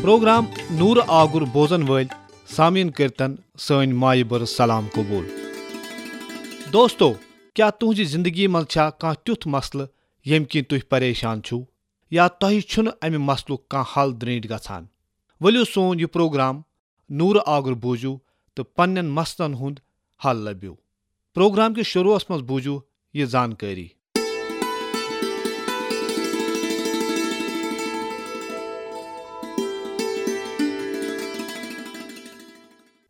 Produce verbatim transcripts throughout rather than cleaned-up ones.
Programme نورٕ آگُر بوزن وٲلۍ سامعیٖن کٔرتن سٲنۍ مایہِ بٔرٕژ سلام قبول۔ دوستو، کیٛاہ تُہنٛزِ زندگی منٛز چھا کانٛہہ تیُتھ مسلہٕ ییٚمہِ کِنۍ تُہۍ پریشان چھِو، یا تۄہہِ چھُنہٕ امہِ مسلُک کانٛہہ حل درینٹھ گژھان؟ ؤلِو سون یہِ پروگرام نورٕ آگُر بوٗزِو تہٕ پننٮ۪ن مسلن ہُنٛد حل لٔبِو۔ پروگرام کِس شروعس منٛز بوٗزِو یہِ زانکٲری۔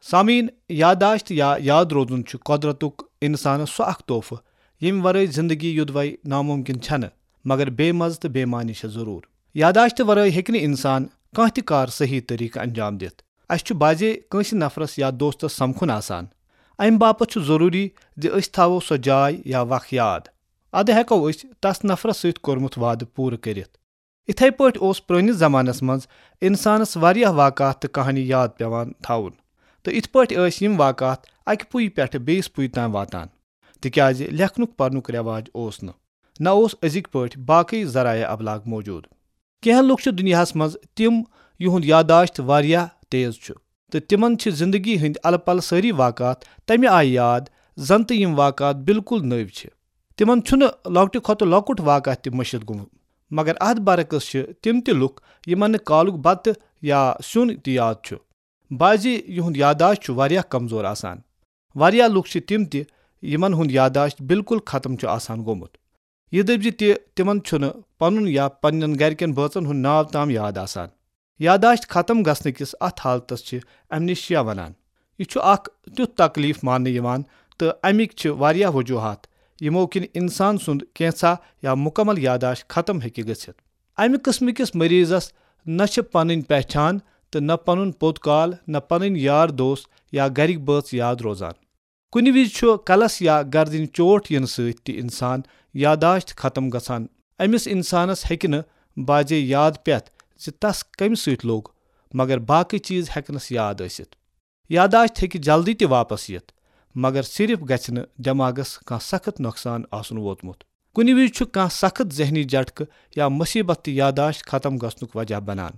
سامعیٖن، یادداشت یا یاد روزُن چھُ قۄدرتُک انسانس سُہ اکھ تحفہٕ، ییٚمہِ ورٲے زندگی یوٚدوے ناممکن چھنہٕ، مگر بے مزٕ تہٕ بے معنی چھےٚ ضروٗر۔ یادداشت ورٲے ہیٚکہِ نہٕ انسان کانٛہہ تہِ کار صحیح طریقہٕ انجام دِتھ۔ اسہِ چھُ بعضے کٲنٛسہِ نفرس یا دوستس سمکھُن آسان۔ امہِ باپتھ چھُ ضروٗری زِ أسۍ تھاوو سۄ جاے یا وق یاد۔ ادٕ ہیٚکو أسۍ تس نفرس سۭتۍ کوٚرمُت وعدٕ پوٗرٕ کٔرِتھ۔ اِتھے پٲٹھۍ اوس پرٲنِس زمانس منٛز انسانس واریاہ واقعات تہٕ کہانی یاد پٮ۪وان تھاوُن، تہٕ اِتھ پٲٹھۍ ٲسۍ یِم واقعات اکہِ پُیہِ پٮ۪ٹھٕ بیٚیِس پُیہِ تام واتان، تِکیازِ لیکھنُک پرنُک رٮ۪واج اوس نہٕ، نہ اوس أزِکۍ پٲٹھۍ باقٕے ذرایع ابلاغ موجود۔ کینٛہہ لُکھ چھِ دُنیاہس منٛز تِم، یِہُنٛد یادداشت واریاہ تیز چھُ، تہٕ تِمن چھِ زندگی ہٕنٛدۍ الہٕ پلہٕ سٲری واقعات تمہِ آیہِ یاد، زن تہٕ یِم واقعات بالکل نٔوۍ چھِ۔ تِمن چھُنہٕ لۄکٹہِ کھۄتہٕ لۄکُٹ واقعہ تہِ مٔشِتھ گوٚمُت۔ مگر اتھ برعکس چھِ تِم تہِ لُکھ، یِمن نہٕ کالُک بتہٕ یا سیُن تہِ یاد چھُ۔ بعضی یِہُنٛد یادداشت چھُ واریاہ کمزور آسان۔ واریاہ لُکھ چھِ تِم تہِ، یِمن ہُنٛد یادداشت بالکل ختم چھُ آسان گوٚمُت۔ یہِ دٔپۍ زِ تہِ تِمن چھُنہٕ پنُن یا پننٮ۪ن گرِکٮ۪ن بٲژن ہُنٛد ناو تام یاد آسان۔ یادداشت ختم گژھنہٕ کِس اتھ حالتس چھِ ایمنیشیا ونان۔ یہِ چھُ اکھ تیُتھ تکلیف ماننہٕ یِوان، تہٕ امِکۍ چھِ واریاہ وجوہات، یِمو کِنۍ انسان سُنٛد کینٛژھا یا مکمل یادداشت ختم ہیٚکہِ گٔژھِتھ۔ امہِ قٕسمہٕ کِس مریضس نہ چھِ پنٕنۍ پہچان تہٕ نہ پنُن پوٚت کال، نہ پنٕنۍ یار دوست یا گرِکۍ بٲژ یاد روزان۔ کُنہِ وِزِ چھُ کلس یا گردنہِ چوٹ یِنہٕ سۭتۍ تہِ انسان یادداشت ختم گژھان۔ أمِس انسانس ہیٚکہِ نہٕ بعضے یاد پٮ۪تھ زِ تس کمہِ سۭتۍ لوٚگ، مگر باقٕے چیز ہیٚکنس یاد ٲسِتھ۔ یادداشت ہیٚکہِ جلدی تہِ واپس یِتھ، مگر صرف گژھِ نہٕ دٮ۪ماغس کانٛہہ سخت نۄقصان آسُن ووتمُت۔ کُنہِ وِزِ چھُ کانٛہہ سخت ذہنی جھٹکہٕ یا مصیبت تہِ یادداشت ختم گژھنُک وجہ بنان۔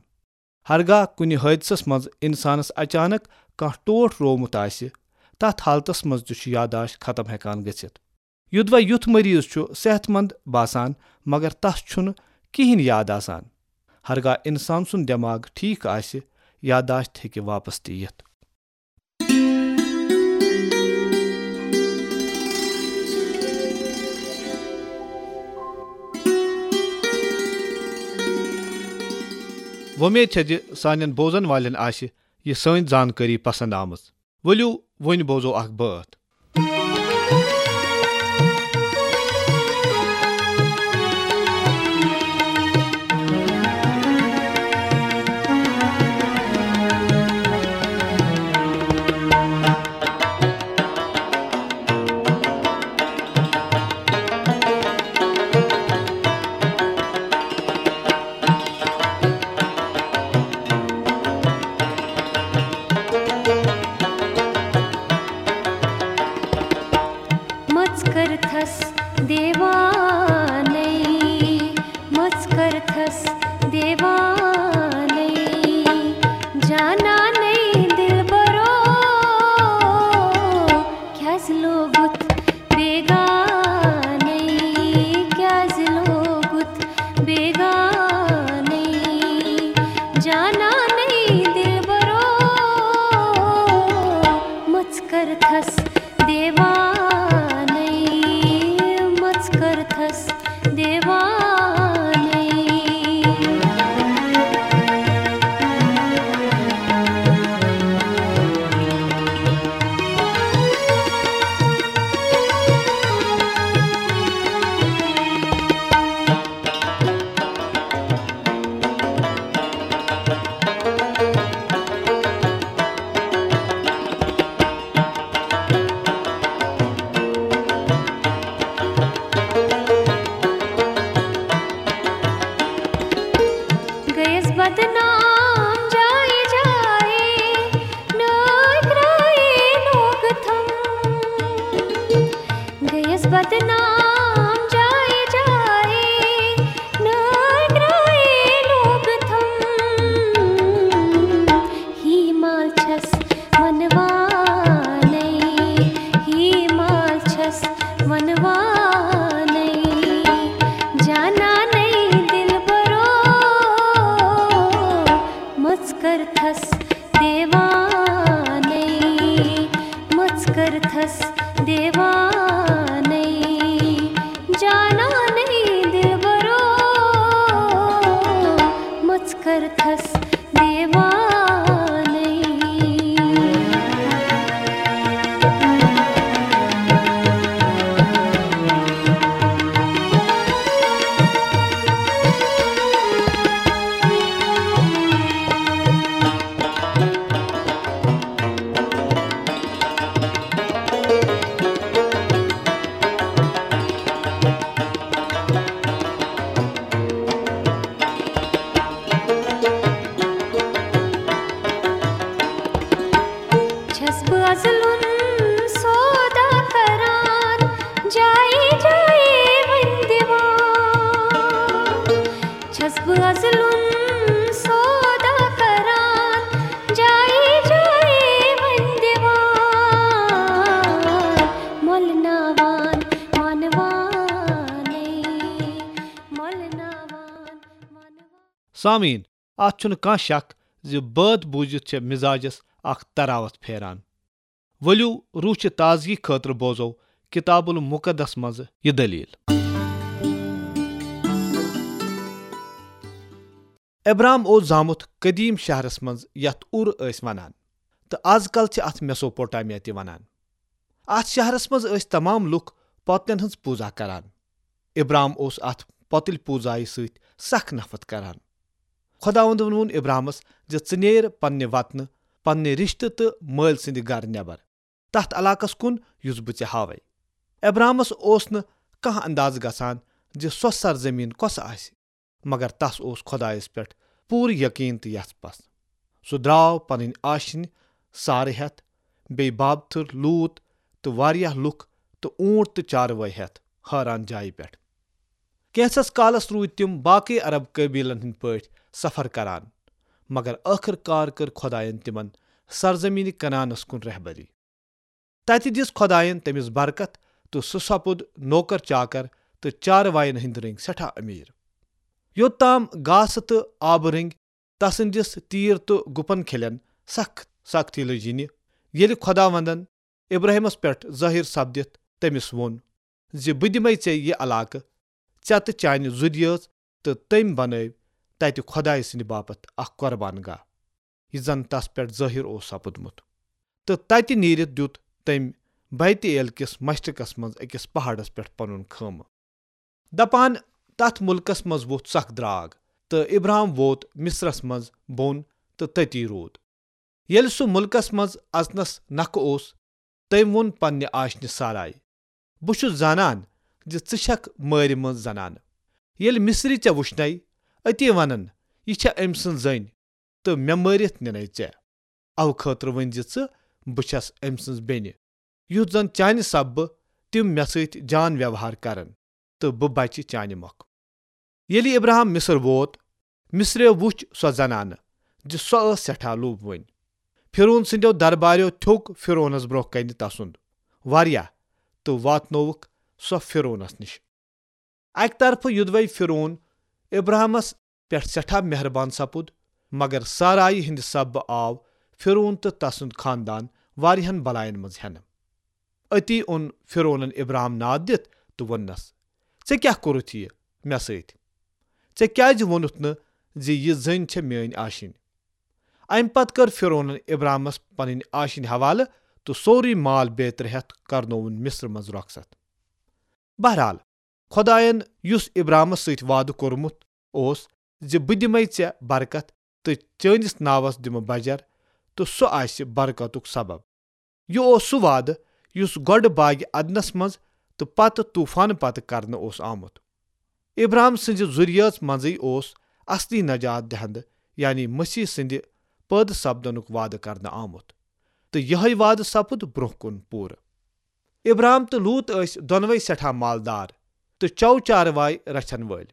ہرگاہ کُنہِ حٲدثس منٛز انسانس اچانک کانٛہہ ٹوٹھ روومُت آسہِ، تتھ حالتس منٛز تہِ چھُ یادداشت ختم ہیٚکان گٔژھِتھ۔ یوٚدوے یُتھ مریض چھُ صحت مند باسان، مگر تس چھُنہٕ کِہینۍ یاد آسان۔ ہرگاہ انسان سُنٛد دٮ۪ماغ ٹھیک آسہِ، یادداشت ہیٚکہِ واپس تہِ یِتھ۔ وۄمید چھےٚ زِ سانٮ۪ن بوزن والٮ۪ن آسہِ یہِ سٲنۍ زانکٲری پسند آمٕژ۔ ؤلِو، وۄنۍ بوزو اکھ بٲتھ۔ سامعین، اتھ چھُنہٕ کانٛہہ شک زِ بٲتھ بوٗزِتھ چھےٚ مزاجس اکھ تراوت پھیران۔ ؤلِو، روح چہِ تازگی خٲطرٕ بوزو کتاب المقدس منٛز یہِ دٔلیٖل۔ ابرام اوس زامُت قدیم شہرس منٛز، یتھ اُر ٲسۍ ونان، تہٕ از کل چھِ اتھ میسوپوٹامیا تہِ ونان۔ اتھ شہرس منٛز ٲسۍ تمام لُکھ پۄتلٮ۪ن ہٕنٛز پوٗزا کران۔ ابرام اوس اتھ پۄتٕلۍ پوٗزایہِ سۭتۍ سخ نفرت کران۔ خۄداوندن ووٚن ابرامس زِ، "ژٕ نیر پننہِ وطنہٕ، پننہِ رشتہٕ تہٕ مٲلۍ سٕنٛدِ گرٕ نٮ۪بر، تتھ علاقس کُن یُس بہٕ ژےٚ ہاوے۔" ابرامس اوس نہٕ کانٛہہ اندازٕ گژھان زِ سۄ سرزمین کۄسہٕ آسہِ، مگر تس اوس خۄدایس پٮ۪ٹھ پوٗرٕ یقین تہٕ یژھ پژھ۔ سُہ درٛاو پنٕنۍ آشِنۍ سارٕ ہٮ۪تھ، بیٚیہِ بابتھٕر، لوٗط تہٕ واریاہ لُکھ تہٕ اوٗنٹ تہٕ چاروٲے ہٮ۪تھ حٲران جایہِ پٮ۪ٹھ۔ کینٛژھس کالس روٗدۍ تِم باقٕے عرب قٲبیلن ہٕنٛدۍ پٲٹھۍ سفر کران، مگر ٲخٕر کار کٔر خۄدایَن تِمن سرزمینہِ کنعانس کُن رہبری۔ تتہِ دِژ خۄدایَن تٔمِس برکت تہٕ سُہ سپُد نوکر چاکر تہٕ چاروایَن ہٕنٛدۍ رٔنگۍ سٮ۪ٹھاہ امیر۔ یوٚت تام گاسہٕ تہٕ آبہٕ رٔنگۍ تسٕنٛدِس تیٖر تہٕ گُپن کھلٮ۪ن سخ سختی لٔج یِنہِ، ییٚلہِ خۄداوندن ابراہیمس پٮ۪ٹھ ظٲہِر سپدِتھ تٔمِس ووٚن زِ، "بہٕ دِمے ژےٚ یہِ علاقہٕ، ژےٚ تہٕ چانہِ ذُرِیٲژ"، تہٕ تٔمۍ بنٲوۍ تتہِ خۄدایہِ سٕنٛدِ باپتھ اکھ قۄربان گاہ، یہِ زن تس پٮ۪ٹھ ظٲہِر اوس سپُدمُت۔ تہٕ تتہِ نیٖرِتھ دیُت تٔمۍ بیت ایل کِس مشرقس منٛز أکِس پہاڑس پٮ۪ٹھ پنُن خٲمہٕ۔ دپان، تتھ مُلکس منٛز ووٚتھ سخ درٛاگ، تہٕ ابرام ووت مصرس منٛز بۄن تہٕ تٔتی روٗد۔ ییٚلہِ سُہ مُلکس منٛز اژنس نکھٕ اوس، تٔمۍ ووٚن پننہِ آشنہِ سارایہِ، "بہٕ چھُس زانان زِ ژٕ چھکھ مٲرِ منٛز زنانہٕ۔ ییٚلہِ مصری ژےٚ وُچھنے، أتی ونن، 'یہِ چھےٚ أمۍ سٕنٛز زٔنۍ، تہٕ مےٚ مٲرِتھ نِنے ژےٚ۔ اوٕ خٲطرٕ ؤنۍ زِ ژٕ، 'بہٕ چھس أمۍ سٕنٛز بیٚنہِ، یُتھ زن چانہِ سببہٕ تِم مےٚ سۭتۍ جان ویوہار کرن، تہٕ بہٕ بچہِ چانہِ مۄکھٕ۔'" ییٚلہِ ابراہم مصر ووت، مصریو وُچھ سۄ زنانہٕ زِ سۄ ٲس سٮ۪ٹھاہ لوٗبوٕنۍ۔ فرعون سٕنٛدیو درباریو تھوٚک فرعونس برونٛہہ کنہِ تسُنٛد واریاہ تہٕ واتنووُکھ سۄ فرعونس نِش۔ اکہِ طرفہٕ یُدوے فرعون ابراہمس پٮ۪ٹھ سٮ۪ٹھاہ مہربان سپُد، مگر سارایہِ ہٕنٛدِ سببہٕ آو فرعون تہٕ تسُنٛد خاندان واریاہن بلاین منٛز ہٮ۪نہٕ۔ أتی اوٚن فرعونن ابراہم ناد دِتھ تہٕ ووٚننس، "ژےٚ کیٛاہ کوٚرُتھ یہِ مےٚ سۭتۍ؟ ژےٚ کیٛازِ ووٚنُتھ نہٕ زِ یہِ زٔنۍ چھےٚ میٲنۍ آشِنۍ؟" امہِ پتہٕ کٔر فرعونن ابراہمس پنٕنۍ آشِنۍ حوالہٕ تہٕ سورُے مال بیترِ ہٮ۪تھ کرنووُن مصر منٛز رۄخصت۔ بہرحال، خۄداین یُس ابراہمس سۭتۍ وعدٕ کوٚرمُت اوس زِ، "بہٕ دِمے ژےٚ برکت تہٕ چٲنِس ناوس دِمہٕ بجر، تہٕ سُہ آسہِ برکتُک سبب۔" یہِ اوس سُہ وعدٕ یُس گۄڈٕ باغِ عدنس منٛز تہٕ پتہٕ طوفانہٕ پتہٕ کرنہٕ اوس آمُت۔ ابراہم سٕنٛزِ ذُریٲژ منٛزٕے اوس اصلی نجات دہندٕ، یعنی مسیح سٕنٛدِ پٲدٕ سپدنُک وعدٕ کرنہٕ آمُت، تہٕ یِہوٚے وعدٕ سپُد برونٛہہ کُن پوٗرٕ۔ ابراہم تہٕ لوط ٲسۍ دۄنوَے سٮ۪ٹھاہ مالدار تہٕ چَو چاروٲے رچھن وٲلۍ۔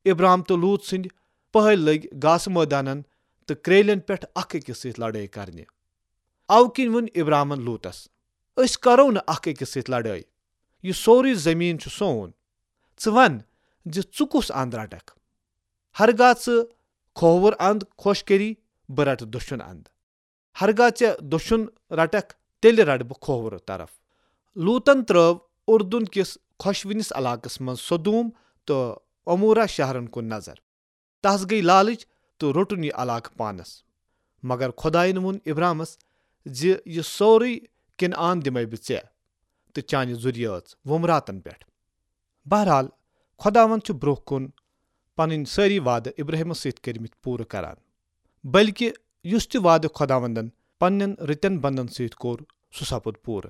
ابراہم تہٕ لوط سٕنٛدۍ پٔہٕلۍ لٔگۍ گاسہٕ مٲدانن تہٕ کرٛیلٮ۪ن پٮ۪ٹھ اکھ أکِس سۭتۍ لڑٲے کرنہِ۔ اوٕ کِنۍ ووٚن ابراہمن لوطس، "أسۍ کرو نہٕ اکھ أکِس سۭتۍ لڑٲے۔ یہِ سورُے زٔمیٖن چھُ سون۔ ژٕ وَن زِ ژٕ کُس اند رٹکھ۔ ہرگاہ ژٕ کھووُر اند خۄش کٔری، بہٕ رٹہٕ دٔچھُن اند۔ ہرگاہ ژےٚ دٔچھُن رٹکھ، تیٚلہِ رٹہٕ بہٕ کھوورٕ طرف۔" لوطن ترٲو اردن کِس خۄشوٕنِس علاقس منٛز سدوم تہٕ عمورہ شہرن کُن نظر۔ تس گٔیۍ لالٕچ تہٕ روٚٹُن یہِ علاقہٕ پانس۔ مگر خۄداین ووٚن ابرامس زِ، "یہِ سورُے کنعان دِمے بہٕ ژےٚ تہٕ چانہِ ذُریٲژ وُمراتن پٮ۪ٹھ۔" بہرحال، خۄداوند چھُ برونٛہہ کُن پنٕنۍ سٲری وعدٕ ابراہیمس سۭتۍ کٔرمٕتۍ پوٗرٕ کران، بلکہِ یُس تہِ وعدٕ خۄداوندن پننٮ۪ن رٕتٮ۪ن بندن سۭتۍ کوٚر، سُہ سپُد پوٗرٕ۔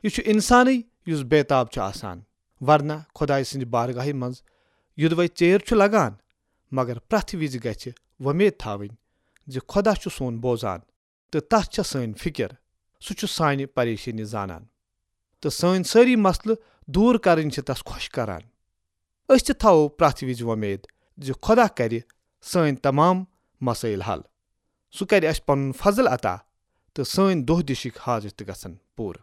یہِ چھُ انسانٕے یُس بے تاب چھُ آسان، ورنہ خۄدایہِ سٕنٛدِ بارگاہہِ منٛز یوٚدوے ژیر چھُ لگان، مگر پرٛٮ۪تھ وِزِ گژھِ وۄمید تھاوٕنۍ زِ خۄدا چھُ سون بوزان تہٕ تس چھےٚ سٲنۍ فِکر۔ سُہ چھُ سانہِ پریشٲنی زانان تہٕ سٲنۍ سٲری مسلہٕ دوٗر کرٕنۍ چھِ تس خۄش کران۔ أسۍ تہِ تھاوو پرٛٮ۪تھ وِزِ وۄمید زِ خۄدا کرِ سٲنۍ تمام مسٲیل حل۔ سُہ کرِ اسہِ پنُن فضل عطا تہٕ سٲنۍ دۄہ دِشٕکۍ حاجت تہِ گژھن پوٗرٕ۔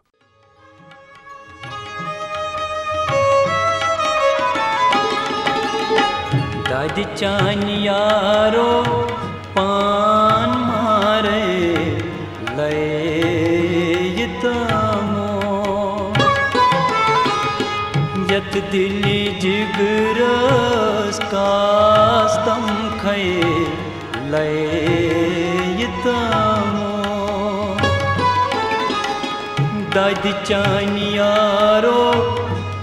دادِ چانہِ یارو پان مارے لے یہِ تامو۔ یتھ دِلہِ جِگرس کاستم کھے لے یہِ تامو۔ دادِ چانہِ یارو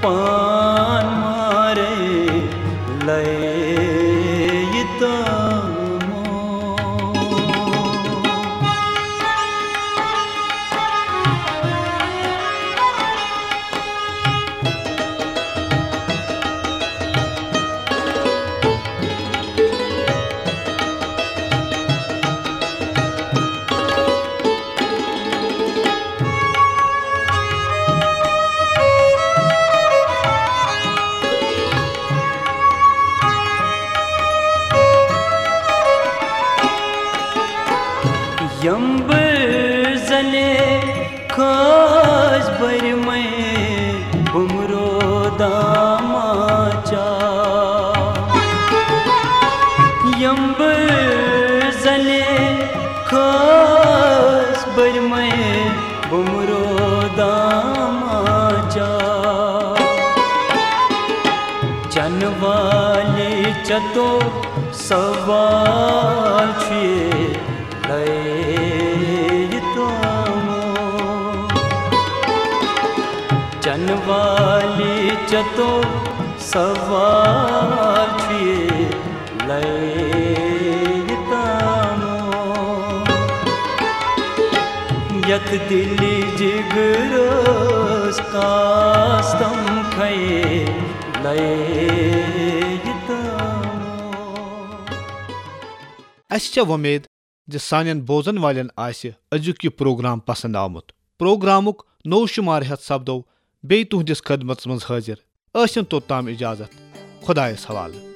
پان مارے لے یہِ تامو۔ یمبر زنے کھاس برمے بمرو داماچا۔ یمبر زنے کھاس برمے بمرو داماچا۔ چنہٕ والہِ چتو سوال چھُ یہِ لے یہِ تامو۔ چنہٕ والہِ چتو سوال چھُ یہِ لے یہِ تامو۔ یتھ دِلہِ جِگرس کاستم کھے لے یہِ تامو۔ اسہِ چھےٚ وۄمید زِ سانٮ۪ن بوزن والٮ۪ن آسہِ أزیُک یہِ پروگرام پسند آمُت۔ پروگرامُک نوٚو شمارٕ ہٮ۪تھ سپدو بیٚیہِ تُہنٛدِس خدمتس منٛز حٲضِر۔ ٲسِن توٚتام اجازت۔ خۄدایس حوالہٕ۔